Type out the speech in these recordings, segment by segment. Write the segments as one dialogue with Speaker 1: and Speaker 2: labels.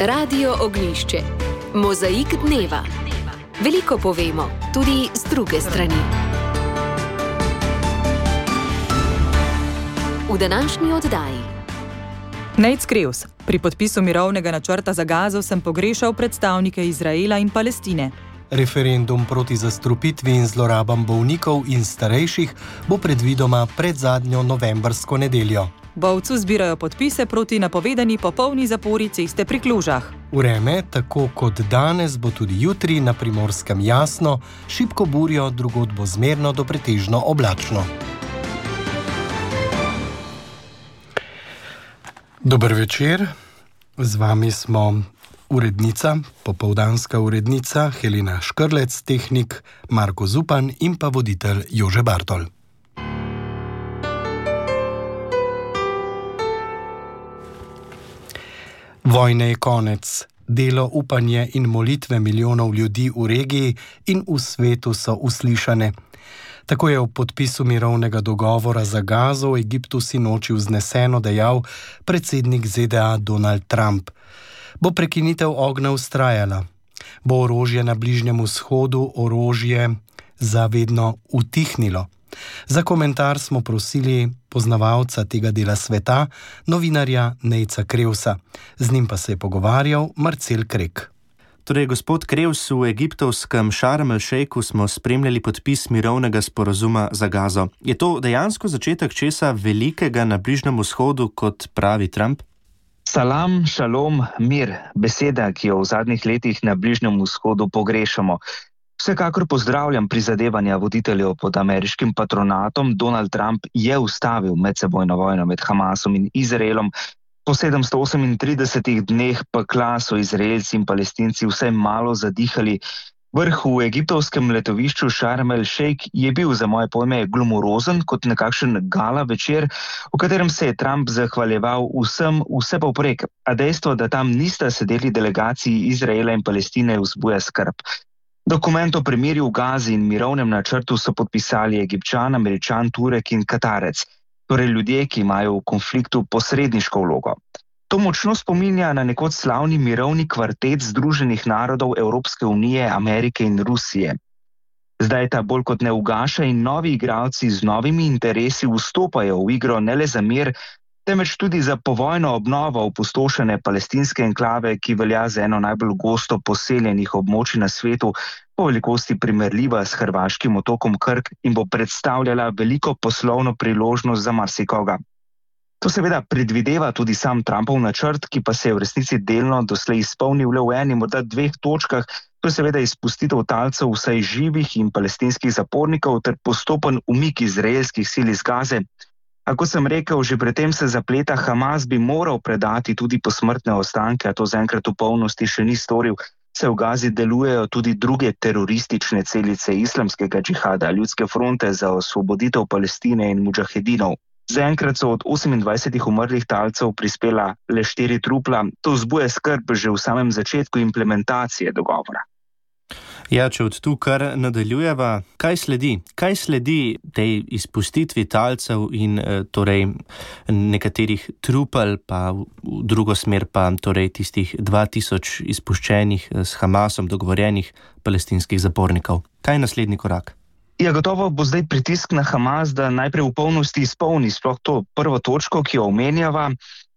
Speaker 1: Radio Ognjišče. Mozaik dneva. Veliko povemo, tudi z druge strani. V današnji oddaji.
Speaker 2: Nate Krevs. Pri podpisu mirovnega načrta za Gazo sem pogrešal predstavnike Izraela in Palestine.
Speaker 3: Referendum proti zastrupitvi in zlorabam bolnikov in starejših bo predvidoma pred zadnjo novembrsko nedeljo.
Speaker 2: Bovcu zbirajo podpise proti napovedani popolni zapori ceste pri Klužah.
Speaker 3: Vreme, tako kot danes, bo tudi jutri na Primorskem jasno, šibko burjo, drugod bo zmerno do pretežno oblačno. Dober večer, z vami smo urednica, popoldanska urednica Helena Škrlec, tehnik Marko Zupan in pa voditelj Jože Bartol. Vojne je konec. Delo, upanje in molitve milijonov ljudi v regiji in v svetu so uslišane. Tako je v podpisu mirovnega dogovora za Gazo v Egiptu sinoči vzneseno dejal predsednik ZDA Donald Trump. Bo prekinitev ognja vztrajala? Bo orožje na Bližnjem vzhodu orožje zavedno utihnilo? Za komentar smo prosili poznavalca tega dela sveta, novinarja Natesa Krevsa. Z njim pa se je pogovarjal Marcel Krek.
Speaker 4: Torej, gospod Krevs, v egiptovskem Šarm el-Šejku smo spremljali podpis mirovnega sporazuma za Gazo. Je to dejansko začetek česa velikega na Bližnjem vzhodu, kot pravi Trump?
Speaker 5: Salam, šalom, mir, beseda, ki jo v zadnjih letih na Bližnjem vzhodu pogrešamo. Vsekakor pozdravljam prizadevanja voditeljev pod ameriškim patronatom. Donald Trump je ustavil medsebojno vojno med Hamasom in Izraelom. Po 738 dneh pekla so Izraelci in Palestinci vsaj malo zadihali. Vrh v egiptovskem letovišču Šarm el-Šejk je bil za moje pojme glamorozen kot nekakšen gala večer, v katerem se je Trump zahvaljeval vsem vse povprek, a dejstvo, da tam nista sedeli delegaciji Izraela in Palestine, vzbuja skrb. Dokument o premirju v Gazi in mirovnem načrtu so podpisali Egipčan, Američan, Turek in Katarec, torej ljudje, ki imajo v konfliktu posredniško vlogo. To močno spominja na nekoč slavni mirovni kvartet Združenih narodov Evropske unije, Amerike in Rusije. Zdaj ta bolj kot ne ugaša in novi igralci z novimi interesi vstopajo v igro ne le za mir, temveč tudi za povojno obnovo opustošene palestinske enklave, ki velja za eno najbolj gosto poseljenih območij na svetu, po velikosti primerljiva s hrvaškim otokom Krk in bo predstavljala veliko poslovno priložnost za marsikoga. To seveda predvideva tudi sam Trumpov načrt, ki pa se je v resnici delno doslej izpolnil le v eni, morda dveh točkah, to je seveda izpustitev talcev vsaj živih in palestinskih zapornikov ter postopen umik izraelskih sil iz Gaze. A kot sem rekel, že predtem se zapleta, Hamas bi moral predati tudi posmrtne ostanke, a to zaenkrat v polnosti še ni storil. Se v Gazi delujejo tudi druge teroristične celice islamskega džihada, Ljudske fronte za osvoboditev Palestine in mudžahedinov. Zaenkrat so od 28 umrlih talcev prispela le 4 trupla. To vzbuja skrb že v samem začetku implementacije dogovora.
Speaker 4: Ja, če od tu kar nadaljujeva, kaj sledi? Kaj sledi tej izpustitvi talcev in torej nekaterih trupel, pa v drugo smer pa torej tistih 2000 izpuščenih s Hamasom dogovorjenih palestinskih zapornikov? Kaj je naslednji korak?
Speaker 5: Ja, gotovo bo zdaj pritisk na Hamas, da najprej v polnosti izpolni sploh to prvo točko, ki jo omenjava.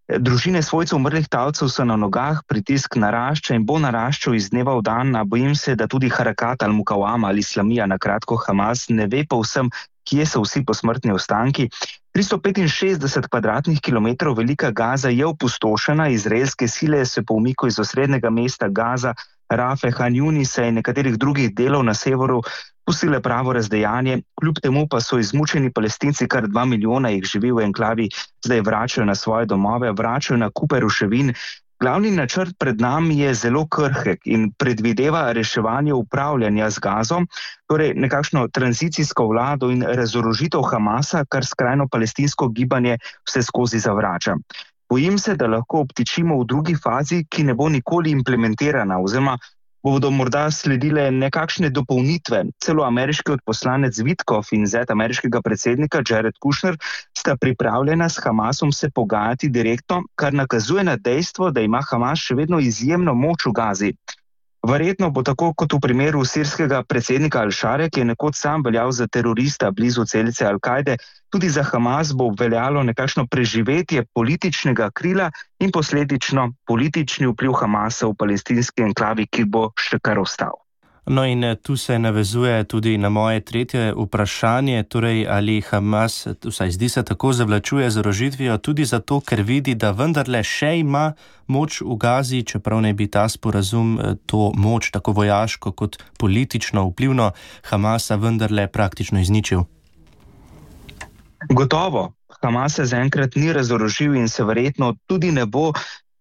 Speaker 5: Družine svojcev umrlih talcev so na nogah, pritisk narašča in bo naraščal iz dneva v dan, a bojim se, da tudi Harakat al-Mukawama ali Islamija, na kratko Hamas, ne ve povsem, kje so vsi posmrtni ostanki. 365 kvadratnih kilometrov velika Gaza je opustošena, izraelske sile se po umiku iz osrednjega mesta Gaza, Rafe, Han Junisa in nekaterih drugih delov na severu pustile pravo razdejanje, kljub temu pa so izmučeni Palestinci, kar 2 milijona jih živi v enklavi, zdaj vračajo na svoje domove, vračajo na kupe ruševin. Glavni načrt pred nami je zelo krhek in predvideva reševanje upravljanja z Gazo, torej nekakšno tranzicijsko vlado in razorožitev Hamasa, kar skrajno palestinsko gibanje vse skozi zavrača. Bojim se, da lahko obtičimo v drugi fazi, ki ne bo nikoli implementirana, oziroma bodo morda sledile nekakšne dopolnitve. Celo ameriški odposlanec Witkoff in zet ameriškega predsednika Jared Kushner sta pripravljena s Hamasom se pogajati direktno, kar nakazuje na dejstvo, da ima Hamas še vedno izjemno moč v Gazi. Verjetno bo tako kot v primeru sirskega predsednika Al-Šare, ki je nekoč sam veljal za terorista blizu celice Al-Kajde, tudi za Hamas bo veljalo nekakšno preživetje političnega krila in posledično politični vpliv Hamasa v palestinski enklavi, ki bo še kar ostal.
Speaker 4: No in tu se navezuje tudi na moje tretje vprašanje, torej ali Hamas, vsaj zdi se tako, zavlačuje z orožitvijo tudi zato, ker vidi, da vendarle še ima moč v Gazi, čeprav ne bi ta sporazum to moč, tako vojaško kot politično vplivno, Hamasa vendarle praktično izničil.
Speaker 5: Gotovo, Hamas se zaenkrat ni razorožil in se verjetno tudi ne bo.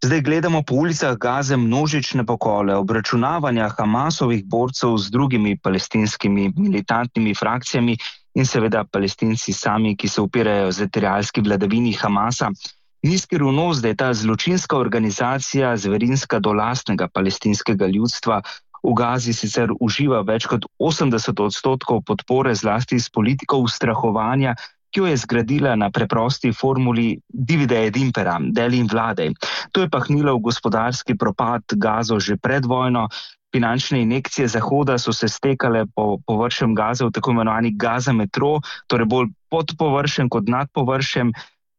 Speaker 5: Zdaj gledamo po ulicah Gaze množične pokole, obračunavanja Hamasovih borcev z drugimi palestinskimi militantnimi frakcijami in seveda Palestinci sami, ki se upirajo teritorialski vladavini Hamasa. Ni skrivnost, da je ta zločinska organizacija zverinska do lastnega palestinskega ljudstva. V Gazi sicer uživa več kot 80% podpore zlasti s politiko ustrahovanja, ki jo je zgradila na preprosti formuli divide et impera, deli in vladaj. To je pahnilo v gospodarski propad Gazo že pred vojno. Finančne injekcije Zahoda so se stekale po površjem Gaze v tako imenovani Gaza metro, torej bolj pod površjem kot nad površjem.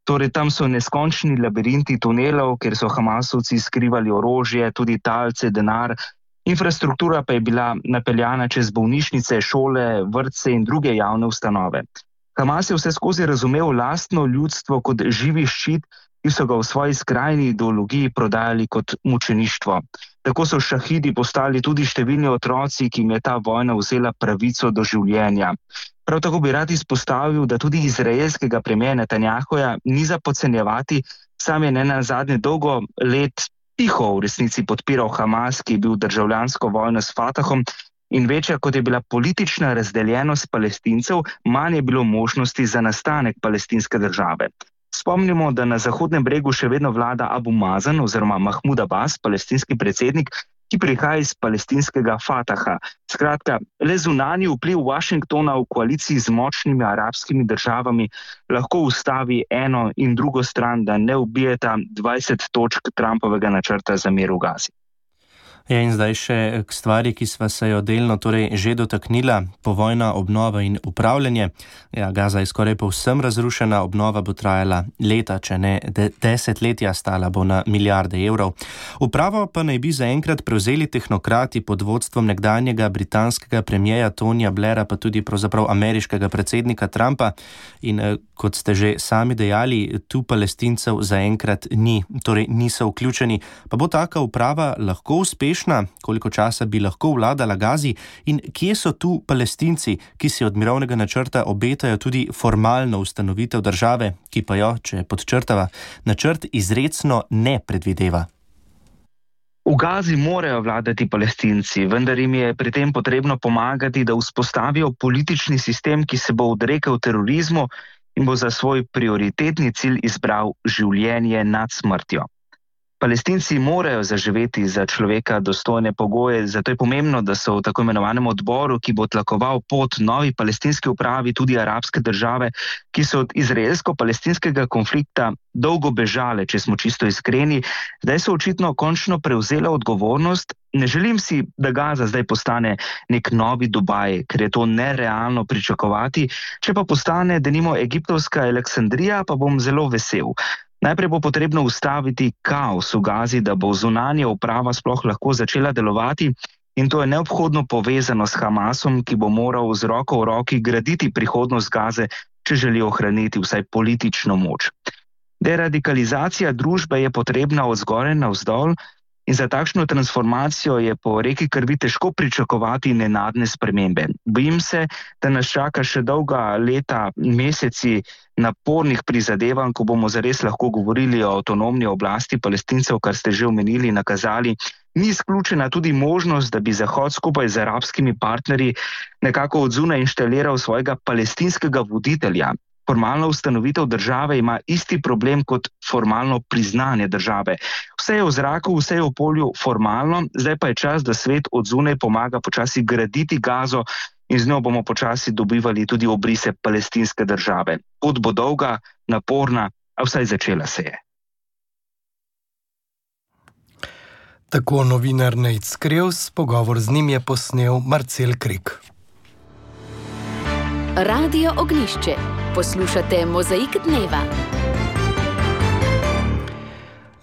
Speaker 5: Torej tam so neskončni labirinti tunelov, kjer so Hamasovci skrivali orožje, tudi talce, denar. Infrastruktura pa je bila napeljana čez bolnišnice, šole, vrtce in druge javne ustanove. Hamas je vse skozi razumel lastno ljudstvo kot živi ščit, ki so ga v svoji skrajni ideologiji prodajali kot mučeništvo. Tako so šahidi postali tudi številni otroci, ki jim je ta vojna vzela pravico do življenja. Prav tako bi rad izpostavil, da tudi izraelskega premierja Netanjahuja ni za podcenjevati, sam je nenazadnje dolgo let tiho v resnici podpiral Hamas, ki je bil državljansko vojno s Fatahom, in večja kot je bila politična razdeljenost Palestincev, manj je bilo možnosti za nastanek palestinske države. Spomnimo, da na Zahodnem bregu še vedno vlada Abu Mazen oziroma Mahmud Abbas, palestinski predsednik, ki prihaja iz palestinskega Fataha. Skratka, le zunanji vpliv Washingtona v koaliciji z močnimi arabskimi državami lahko ustavi eno in drugo stran, da ne ubijeta 20 točk Trumpovega načrta za mir v Gazi.
Speaker 4: Ja, in zdaj še k stvari, ki sva se jo delno torej že dotaknila, povojna obnova in upravljanje. Ja, Gaza je skoraj povsem razrušena, obnova bo trajala leta, če ne desetletja, stala bo na milijarde evrov. Upravo pa naj bi zaenkrat prevzeli tehnokrati pod vodstvom nekdanjega britanskega premierja Tonija Blaira, pa tudi pravzaprav ameriškega predsednika Trumpa. In kot ste že sami dejali, tu Palestincev zaenkrat ni, torej niso vključeni. Pa bo taka uprava lahko uspešna? Koliko časa bi lahko vladala Gazi in kje so tu Palestinci, ki si od mirovnega načrta obetajo tudi formalno ustanovitev države, ki pa jo, če podčrtava, načrt izrecno ne predvideva?
Speaker 5: V Gazi morajo vladati Palestinci, vendar jim je pri tem potrebno pomagati, da vzpostavijo politični sistem, ki se bo odrekel terorizmu in bo za svoj prioritetni cilj izbral življenje nad smrtjo. Palestinci morajo zaživeti za človeka dostojne pogoje, zato je pomembno, da so v tako imenovanem odboru, ki bo tlakoval pot novi palestinski upravi, tudi arabske države, ki so od izraelsko-palestinskega konflikta dolgo bežale, če smo čisto iskreni. Zdaj so očitno končno prevzela odgovornost. Ne želim si, da Gaza zdaj postane nek novi Dubaj, ker je to nerealno pričakovati. Če pa postane denimo egiptovska Aleksandrija, pa bom zelo vesel. Najprej bo potrebno ustaviti kaos v Gazi, da bo zunanja uprava sploh lahko začela delovati, in to je neobhodno povezano s Hamasom, ki bo moral z roko v roki graditi prihodnost Gaze, če želi ohraniti vsaj politično moč. Deradikalizacija družbe je potrebna od zgoraj navzdol in za takšno transformacijo je po reki krvi težko pričakovati nenadne spremembe. Bojim se, da nas čaka še dolga leta, meseci napornih prizadevanj, ko bomo zares lahko govorili o avtonomni oblasti Palestincev, kar ste že omenili, nakazali. Ni izključena tudi možnost, da bi Zahod skupaj z arabskimi partnerji nekako od zunaj inštaliral svojega palestinskega voditelja. Formalna ustanovitev države ima isti problem kot formalno priznanje države. Vse je v zraku, vse je v polju formalno, zdaj pa je čas, da svet od zunaj pomaga počasi graditi Gazo in z njo bomo počasi dobivali tudi obrise palestinske države. Pot bo dolga, naporna, a vsaj začela se je.
Speaker 3: Tako novinar Nejc Krevs, pogovor z njim je posnel Marcel Krik.
Speaker 1: Radio Ognjišče. Poslušate Mozaik dneva.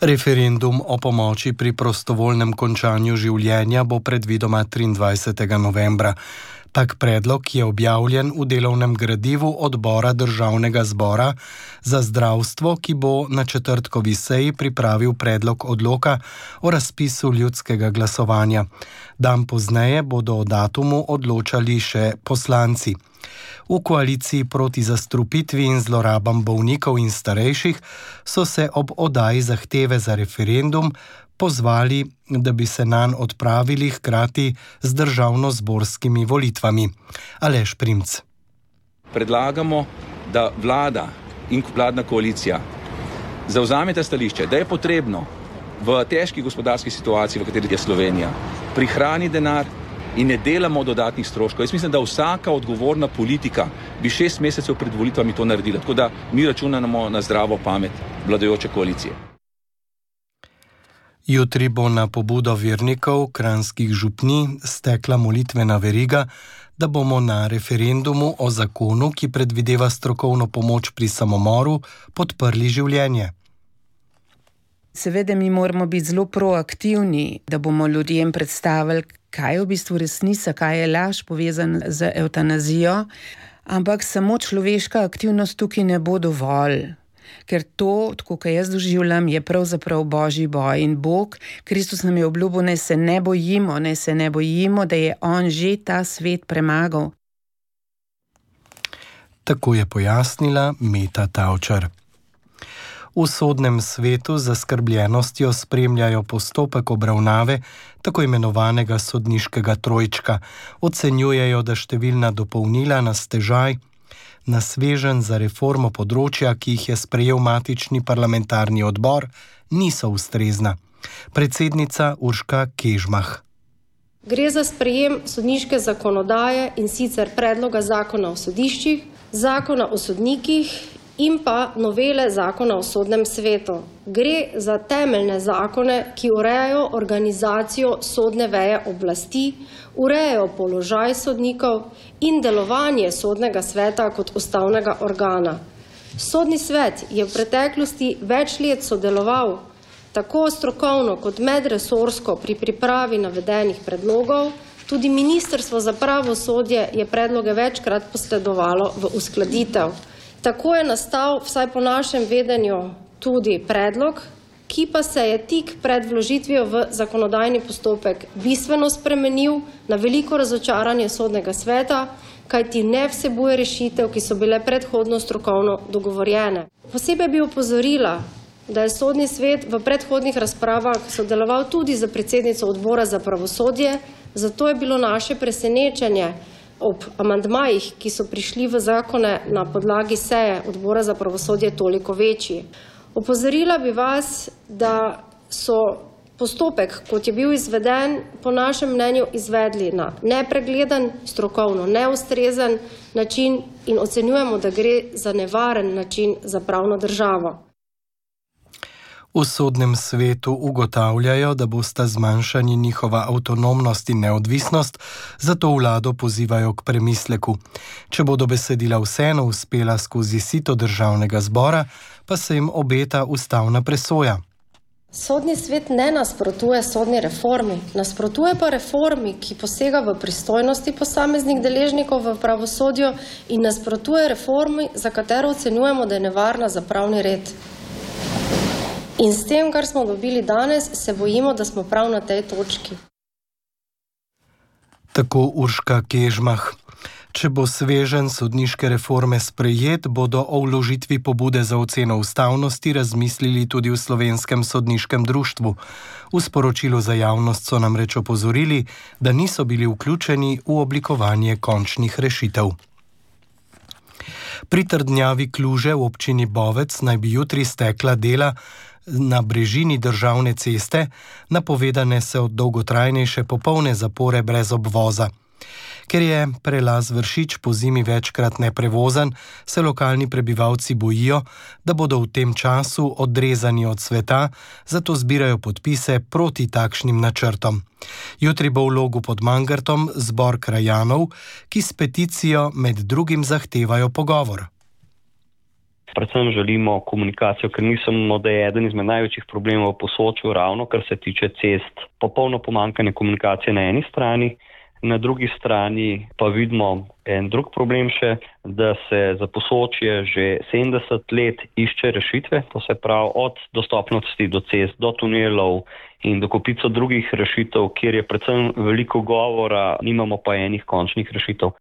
Speaker 3: Referendum o pomoči pri prostovoljnem končanju življenja bo predvidoma 23. novembra. Tak predlog je objavljen v delovnem gradivu odbora Državnega zbora za zdravstvo, ki bo na četrtkovi seji pripravil predlog odloka o razpisu ljudskega glasovanja. Dan pozneje bodo o datumu odločali še poslanci. V koaliciji proti zastrupitvi in zlorabam bolnikov in starejših so se ob oddaji zahteve za referendum pozvali, da bi se nanj odpravili hkrati z državnozborskimi volitvami. Aleš Primc.
Speaker 6: Predlagamo, da vlada in vladna koalicija zavzameta stališče, da je potrebno v težki gospodarski situaciji, v kateri je Slovenija, prihrani denar in ne delamo dodatnih stroškov. Jaz mislim, da vsaka odgovorna politika bi 6 mesecev pred volitvami to naredila. Tako da mi računamo na zdravo pamet vladajoče koalicije.
Speaker 3: Jutri bo na pobudo vernikov kranjskih župnij stekla molitvena veriga, da bomo na referendumu o zakonu, ki predvideva strokovno pomoč pri samomoru, podprli življenje.
Speaker 7: Seveda mi moramo biti zelo proaktivni, da bomo ljudem predstavili, kaj je v bistvu resnica, kaj je laž povezan z evtanazijo, ampak samo človeška aktivnost tukaj ne bo dovolj. Ker to, tako kot jaz doživljam, je pravzaprav božji boj in Bog, Kristus nam je obljubil, naj se ne bojimo, da je on že ta svet premagal.
Speaker 3: Tako je pojasnila Meta Tavčar. V sodnem svetu z zaskrbljenostjo spremljajo postopek obravnave tako imenovanega sodniškega trojčka. Ocenjujejo, da številna dopolnila na stežaj, na sveženj za reformo področja, ki jih je sprejel matični parlamentarni odbor, niso ustrezna. Predsednica Urška Kežmah.
Speaker 8: Gre za sprejem sodniške zakonodaje in sicer predloga zakona o sodiščih, zakona o sodnikih in pa novele zakona o sodnem svetu. Gre za temeljne zakone, ki urejajo organizacijo sodne veje oblasti, urejajo položaj sodnikov in delovanje sodnega sveta kot ustavnega organa. Sodni svet je v preteklosti več let sodeloval tako strokovno kot medresorsko pri pripravi navedenih predlogov. Tudi Ministrstvo za pravosodje je predloge večkrat posredovalo v uskladitev. Tako je nastal, vsaj po našem vedenju, tudi predlog, ki pa se je tik pred vložitvijo v zakonodajni postopek bistveno spremenil na veliko razočaranje sodnega sveta, kajti ne vsebuje rešitev, ki so bile predhodno strokovno dogovorjene. Posebej bi opozorila, da je sodni svet v predhodnih razpravah sodeloval tudi za predsednico odbora za pravosodje, zato je bilo naše presenečenje ob amandmajih, ki so prišli v zakone na podlagi seje odbora za pravosodje, toliko večji. Opozorila bi vas, da so postopek, kot je bil izveden, po našem mnenju izvedli na nepregleden, strokovno neustrezen način in ocenjujemo, da gre za nevaren način za pravno državo.
Speaker 3: V sodnem svetu ugotavljajo, da bosta zmanjšani njihova avtonomnost in neodvisnost, zato vlado pozivajo k premisleku. Če bodo besedila vseeno uspela skozi sito državnega zbora, pa se jim obeta ustavna presoja.
Speaker 8: Sodni svet ne nasprotuje sodni reformi, nasprotuje pa reformi, ki posega v pristojnosti posameznih deležnikov v pravosodju in nasprotuje reformi, za katero ocenjujemo, da je nevarna za pravni red. In s tem, kar smo dobili danes, se bojimo, da smo prav na tej točki.
Speaker 3: Tako Urška Kežmah. Če bo sveženj sodniške reforme sprejet, bodo o vložitvi pobude za oceno ustavnosti razmislili tudi v Slovenskem sodniškem društvu. V sporočilu za javnost so namreč opozorili, da niso bili vključeni v oblikovanje končnih rešitev. Pri trdnjavi Kluže v občini Bovec naj bi jutri stekla dela na brežini državne ceste, napovedane so dolgotrajnejše popolne zapore brez obvoza. Ker je prelaz Vršič po zimi večkrat neprevozen, se lokalni prebivalci bojijo, da bodo v tem času odrezani od sveta, zato zbirajo podpise proti takšnim načrtom. Jutri bo v Logu pod Mangartom zbor krajanov, ki s peticijo med drugim zahtevajo pogovor.
Speaker 9: Predvsem želimo komunikacijo, ker mislimo, da je eden izmed največjih problemov v Posočju ravno, kar se tiče cest, popolno pomanjkanje komunikacije na eni strani. Na drugi strani pa vidimo en drug problem še, da se za Posočje že 70 let išče rešitve, to se pravi od dostopnosti do cest, do tunelov in do kopico drugih rešitev, kjer je predvsem veliko govora, nimamo pa enih končnih rešitev.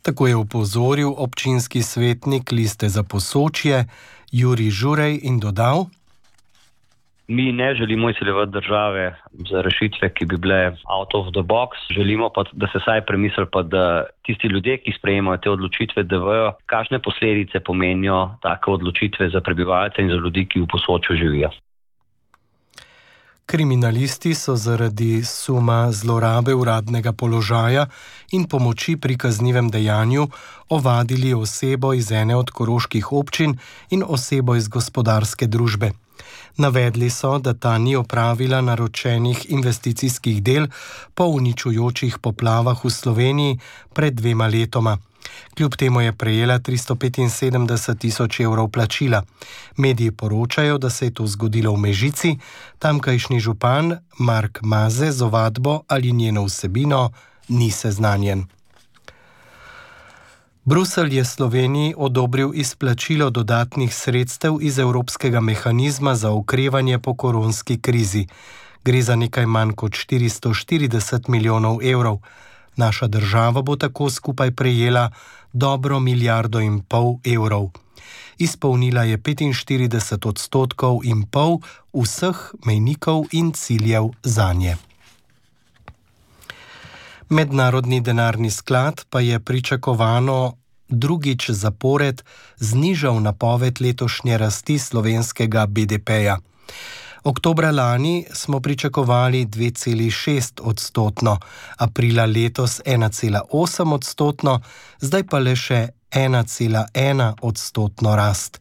Speaker 3: Tako je opozoril občinski svetnik Liste za Posočje Jurij Žurej in dodal:
Speaker 9: Mi ne želimo izsiljevati države za rešitve, ki bi bile out of the box. Želimo pa, da se vsaj premisli, pa da tisti ljudje, ki sprejemajo te odločitve, da vejo, kakšne posledice pomenijo take odločitve za prebivalce in za ljudi, ki v Posočju živijo.
Speaker 3: Kriminalisti so zaradi suma zlorabe uradnega položaja in pomoči pri kaznivem dejanju ovadili osebo iz ene od koroških občin in osebo iz gospodarske družbe. Navedli so, da ta ni opravila naročenih investicijskih del po uničujočih poplavah v Sloveniji pred 2 letoma. Kljub temu je prejela 375 000 evrov plačila. Mediji poročajo, da se je to zgodilo v Mežici, tamkajšnji župan Mark Maze z ovadbo ali njeno vsebino ni seznanjen. Bruselj je Sloveniji odobril izplačilo dodatnih sredstev iz Evropskega mehanizma za okrevanje po koronski krizi. Gre za nekaj manj kot 440 milijonov evrov. Naša država bo tako skupaj prejela dobro 1,5 milijarde evrov. Izpolnila je 45% vseh mejnikov in ciljev zanje. Mednarodni denarni sklad pa je pričakovano drugič zapored znižal napoved letošnje rasti slovenskega BDP-ja. Oktobra lani smo pričakovali 2,6%, aprila letos 1,8%, zdaj pa le še 1,1% rast.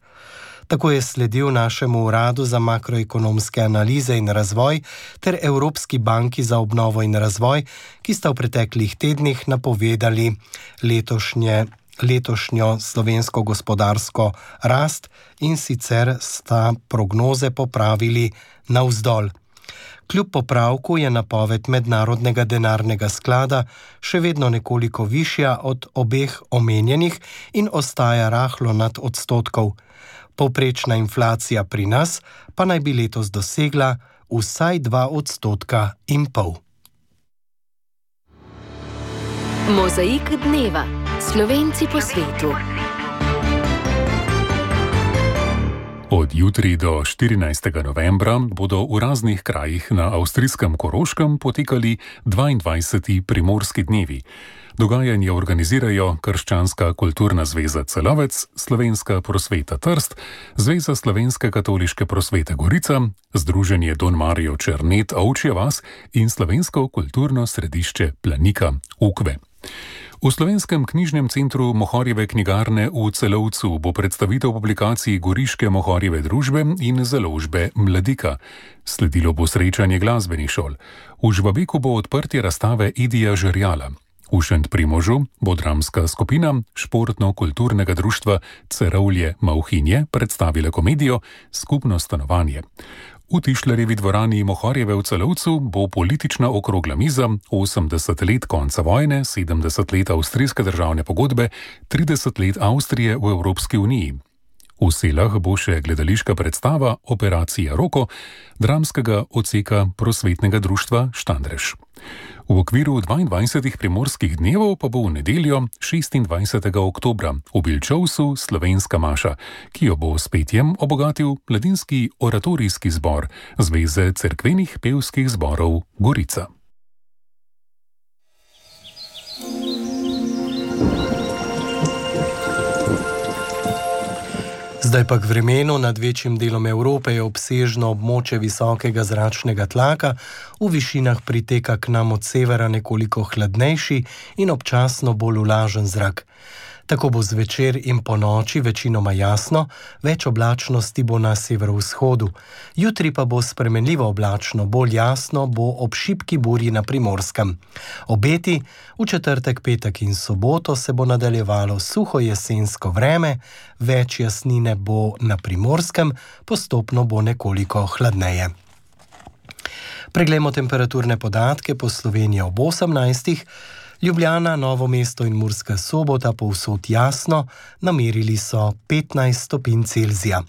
Speaker 3: Tako je sledil našemu uradu za makroekonomske analize in razvoj ter Evropski banki za obnovo in razvoj, ki sta v preteklih tednih napovedali letošnjo slovensko gospodarsko rast in sicer sta prognoze popravili navzdol. Kljub popravku je napoved Mednarodnega denarnega sklada še vedno nekoliko višja od obeh omenjenih in ostaja rahlo nad odstotkov. Povprečna inflacija pri nas pa naj bi letos dosegla vsaj 2,5%.
Speaker 1: Mozaik dneva. Slovenci po svetu.
Speaker 10: Od jutri do 14. novembra bodo v raznih krajih na avstrijskem Koroškem potekali 22. primorski dnevi. Dogajanje organizirajo Krščanska kulturna zveza Celovec, Slovenska prosveta Trst, Zveza slovenske katoliške prosvete Gorica, Združenje Don Marijo Černet Ovčja vas in Slovensko kulturno središče Planika Ukve. V Slovenskem knjižnem centru Mohorjeve knjigarne v Celovcu bo predstavitev publikacij Goriške Mohorjeve družbe in založbe Mladika. Sledilo bo srečanje glasbenih šol. V Žbabeku bo odprtje razstave Idija Žerjala. V Šentprimožu bo dramska skupina športno-kulturnega društva Cerovlje Mauhinje predstavila komedijo Skupno stanovanje. V Tišlerjevi dvorani Mohorjeve v Celovcu bo politična okrogla miza 80 let konca vojne, 70 let avstrijske državne pogodbe, 30 let Avstrije v Evropski uniji. V Selah bo še gledališka predstava Operacija Roko, dramskega odseka prosvetnega društva Štandrež. V okviru 22 primorskih dnevov pa bo v nedeljo 26. oktobra v Bilčovsu slovenska maša, ki jo bo s petjem obogatil mladinski oratorijski zbor Zveze cerkvenih pevskih zborov Gorica.
Speaker 3: Zdaj pa k vremenu. Nad večjim delom Evrope je obsežno območje visokega zračnega tlaka, v višinah priteka k nam od severa nekoliko hladnejši in občasno bolj vlažen zrak. Tako bo zvečer in po noči večinoma jasno, več oblačnosti bo na severovzhodu. Jutri pa bo spremenljivo oblačno, bolj jasno bo ob šibki burji na Primorskem. Obeti v četrtek, petek in soboto se bo nadaljevalo suho jesensko vreme, več jasnine bo na Primorskem, postopno bo nekoliko hladneje. Preglejmo temperaturne podatke po Sloveniji ob 18. Ljubljana, Novo mesto in Murska Sobota povsod jasno, namerili so 15 stopinj Celzija.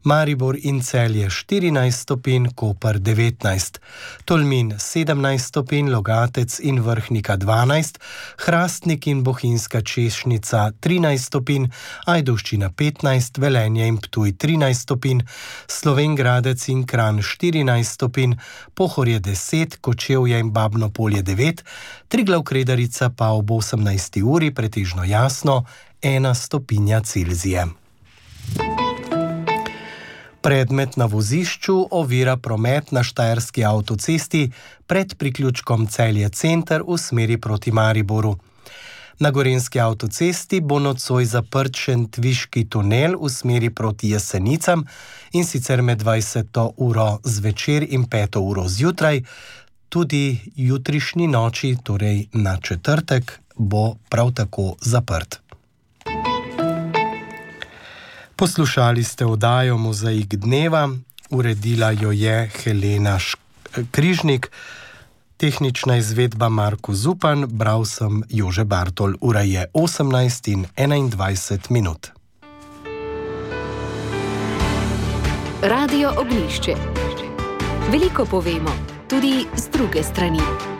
Speaker 3: Maribor in Celje 14 stopinj, Koper 19, Tolmin 17 stopinj, Logatec in Vrhnika 12, Hrastnik in Bohinjska Češnica 13 stopinj, Ajdovščina 15, Velenje in Ptuj 13 stopinj, Slovenj Gradec in Kranj 14 stopinj, Pohorje 10, Kočevje in Babno Polje 9, Triglav Kredarica pa ob 18. uri pretežno jasno 1 stopinja Celzija. Predmet na vozišču ovira promet na Štajerski avtocesti pred priključkom Celje center v smeri proti Mariboru. Na Gorenjski avtocesti bo nocoj zaprt Šentviški tunel v smeri proti Jesenicam, in sicer med 20. uro zvečer in 5. uro zjutraj. Tudi jutrišnji noči, torej na četrtek, bo prav tako zaprt. Poslušali ste oddajo Mozaik dneva, uredila jo je Helena Križnik, tehnična izvedba Marko Zupan, bral sem Jože Bartol. Ura je 18:21 minut.
Speaker 1: Radio Ognjišče. Veliko povemo, tudi z druge strani.